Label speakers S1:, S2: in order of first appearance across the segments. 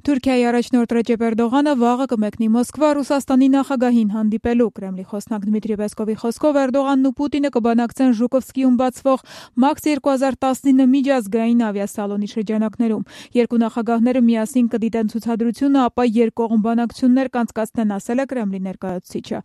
S1: Թուրքիայի առաջնորդ Ռեջեփ Էրդողանը վաղը կմեկնի Մոսկվա Ռուսաստանի նախագահին հանդիպելու։ Կրեմլի խոսնակ Դմիտրի Պեսկովի խոսքով Էրդողանն ու Պուտինը կբանակցեն Ժուկովսկիում բացվող MAX 2019 միջազգային ավիասալոնի շրջանակներում։ Երկու նախագահները միասին կդիտեն ցուցադրությունը, ապա երկկողմ բանակցություններ կանցկացնեն, ասել է Կրեմլի ներկայացուցիչը։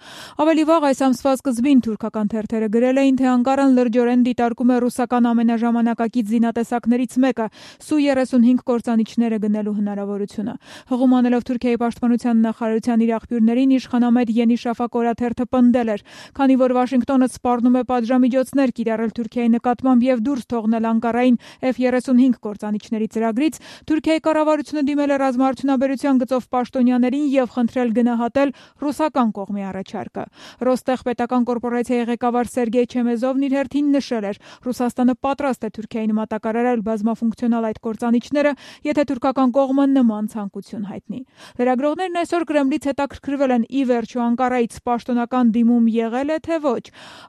S1: Ավելի վաղ այս ամսվա սկզբին թուրքական թերթերը գրել էին, թե Անկարան լրջորեն դիտարկում է ռուսական ամենաժամանակակից զինատեսակներից մեկը՝ Su-35 կործանիչները գնելու հնարավորությունը։ Հղում անելով Թուրքիայի պաշտպանության նախարարության իր աղբյուրներին, իշխանամետ Yeni Shafak օրաթերթը պնդել էր, քանի որ Վաշինգտոնը սպառնում է պատժամիջոցներ կիրառել Թուրքիայի նկատմամբ եւ դուրս թողնել Անկարային F-35 կործանիչների ծրագրից, Թուրքիայի կառավարությունը դիմել է ռազմաարդյունաբերության գծով պաշտոնյաներին եւ խնդրել գնահատել ռուսական կողմի առաջարկը։ Ռոստեղ պետական կորպորացիայի ղեկավար Սերգեյ Չեմեզովն իր հերթին նշել էր, Ռուսաստանը պատրաստ է Թուրքիային մատակարարել բազմաֆունկցիոնալ այդ կործանիչները, եթե թուրքական կողմը նման ցանկություն հայտնի։ Լրագրողներն այսօր Կրեմլից հետաքրքրվել են՝ ի վերջո Անկարայից պաշտոնական դիմում եղել է, թե ոչ։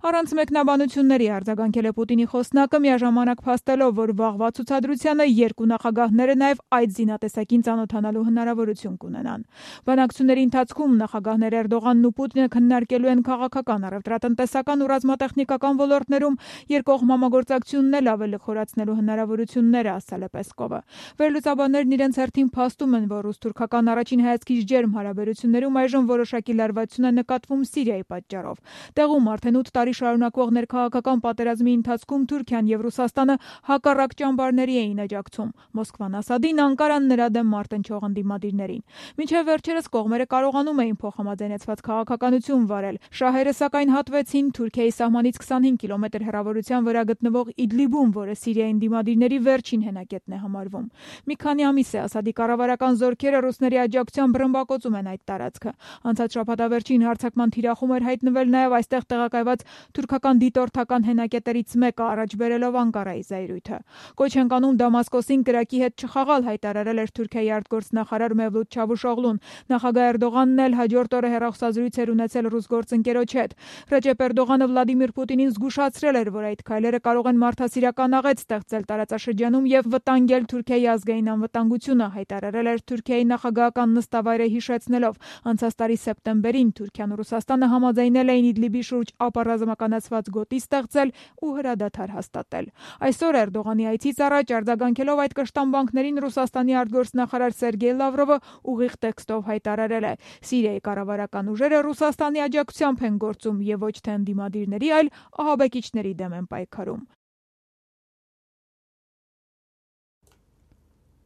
S1: Առանց մեկնաբանությունների արձագանքել է Պուտինի խոսնակը, միաժամանակ փաստելով, որ վաղվա ցուցադրությանը երկու նախագահները նաև այդ զինատեսակին ծանոթանալու հնարավորություն կունենան։ Բանակցությունների ընթացքում նախագահներ Էրդողանն ու Պուտինը քննարկելու են քաղաքական, առևտրատնտեսական ու ռազմատեխնիկական ոլորտներում երկկողմ համագործակցությունն էլ ավելի խորացնելու հնարավորությունները, ասել է Պեսկովը։ Վերլուծաբաններն իրենց հերթին փաստում են, որ ռուս-թուրքական առաջին հայացքից ջերմ հարաբերություններում այժմ որոշակի լարվածություն է նկատվում Սիրիայի պատճառով։ Տեղում արդեն 8 տարի շարունակվող ներքաղաքական պատերազմի ընթացքում Թուրքիան եւ Ռուսաստանը հակառակ ճամբարների էին աջակցում։ Մոսկվան Ասադին, Անկարան նրա դեմ մարտնչող ընդդիմադիրներին։ Մինչև վերջերս կողմերը կարողանում էին փոխհամաձայնեցված քաղաքականություն վարել։ Շահերը սակայն հատվեցին Թուրքիայի սահմանից 25 կիլոմետր հեռավորության վրա գտնվող Իդլիբում, որը Սիրիայի ընդդիմադիրների վերջին հենակետն է համարվում։ Մի քանի ամիս է Ասադի կառավարական զորքերը ռուսների աջակցությամբ ռմբակոծում են այդ տարածքը։ Անցած շաբաթավերջին հարձակման թիրախում էր հայտնվել նաև այստեղ տեղակայված թուրքական դիտորդական հենակետերից մեկը, առաջ բերելով Անկարայի զայրույթը։ Կոչ են կանում Դամասկոսին կրակի հետ չխաղալ, հայտարարել էր Թուրքիայի արտգործնախարար Մևլութ Չավուշօղլուն։ Նախագահ Էրդողանն էլ հաջորդ օրը հեռախոսազրույց էր ունեցել ռուս գործընկերոջ հետ։ Ռեջեփ Էրդողանը Վլադիմիր Պուտինին զգուշացրել էր, որ այդ քայլերը կարող են մարդասիրական աղետ ստեղծել տարածաշրջանում եւ վտանգել Թուրքիայի ազգային անվտանգությունը, հայտարարել էր Թուրքիայի նախագահական նստավայրը հիշեցնելով, անցած տարի սեպտեմբերին Թուրքիան ու Ռուսաստանը համաձայնել էին Իդլիբի շուրջ ապառազմականացված գոտի ստեղծել ու հրադադար հաստատել։ Այսօր Էրդողանի այցից առաջ արձագանքելով այդ կշտամբանքներին Ռուսաստանի արտգործնախարար Սերգեյ Լավրովը ուղիղ տեքստով հայտարարել է. Սիրիայի կառավարական ուժերը Ռուսաստանի աջակցությամբ են գործում եւ ոչ թե ընդդիմադիրների, այլ ահաբեկիչների դեմ են պայքարում։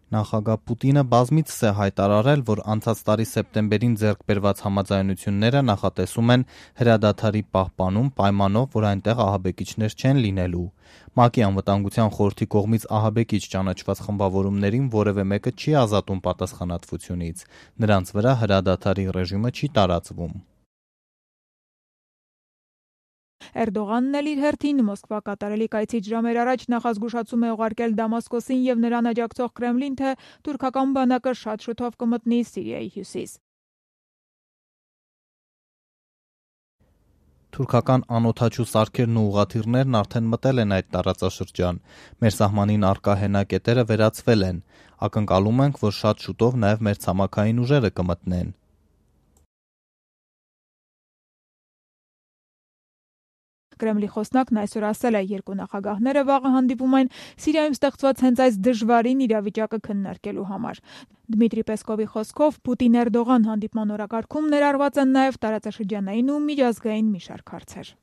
S2: Նախագահ Պուտինը բազմիցս է հայտարարել, որ անցած տարի սեպտեմբերին ձեռք բերված համաձայնությունները նախատեսում են հրադադարի պահպանում պայմանով, որ այնտեղ ահաբեկիչներ չեն լինելու։ ՄԱԿ-ի անվտանգության խորհրդի կողմից ահաբեկիչ ճանաչված խմբավորումներին որևէ մեկը չի ազատում պատասխանատվությունից։ Նրանց վրա հրադադարի ռեժիմը չի տարածվում։
S1: Էրդողանն էլ իր հերթին Մոսկվա կատարելիք այցից ժամեր առաջ նախազգուշացում է ուղարկել Դամասկոսին եւ նրան աջակցող Կրեմլին, թե թուրքական բանակը շատ շուտով կմտնի Սիրիայի հյուսիս։
S2: Թուրքական անօդաչու սարքերն ու ուղղաթիռներն արդեն մտել են այդ տարածաշրջան։ Մեր սահմանին առկա հենակետերը վերացվել են։ Ակնկալում ենք, որ շատ շուտով նաև մեր ցամաքային ուժերը կմտնեն։
S1: Կրեմլի խոսնակն այսօր ասել է, երկու նախագահները վաղը հանդիպում են Սիրիայում ստեղծված հենց այս դժվարին իրավիճակը քննարկելու համար։ Դմիտրի Պեսկովի խոսքով Պուտին-Էրդողան հանդիպման օրակարգում ներառված են նաև տարածաշրջանային ու միջազգային մի շարք հարցեր։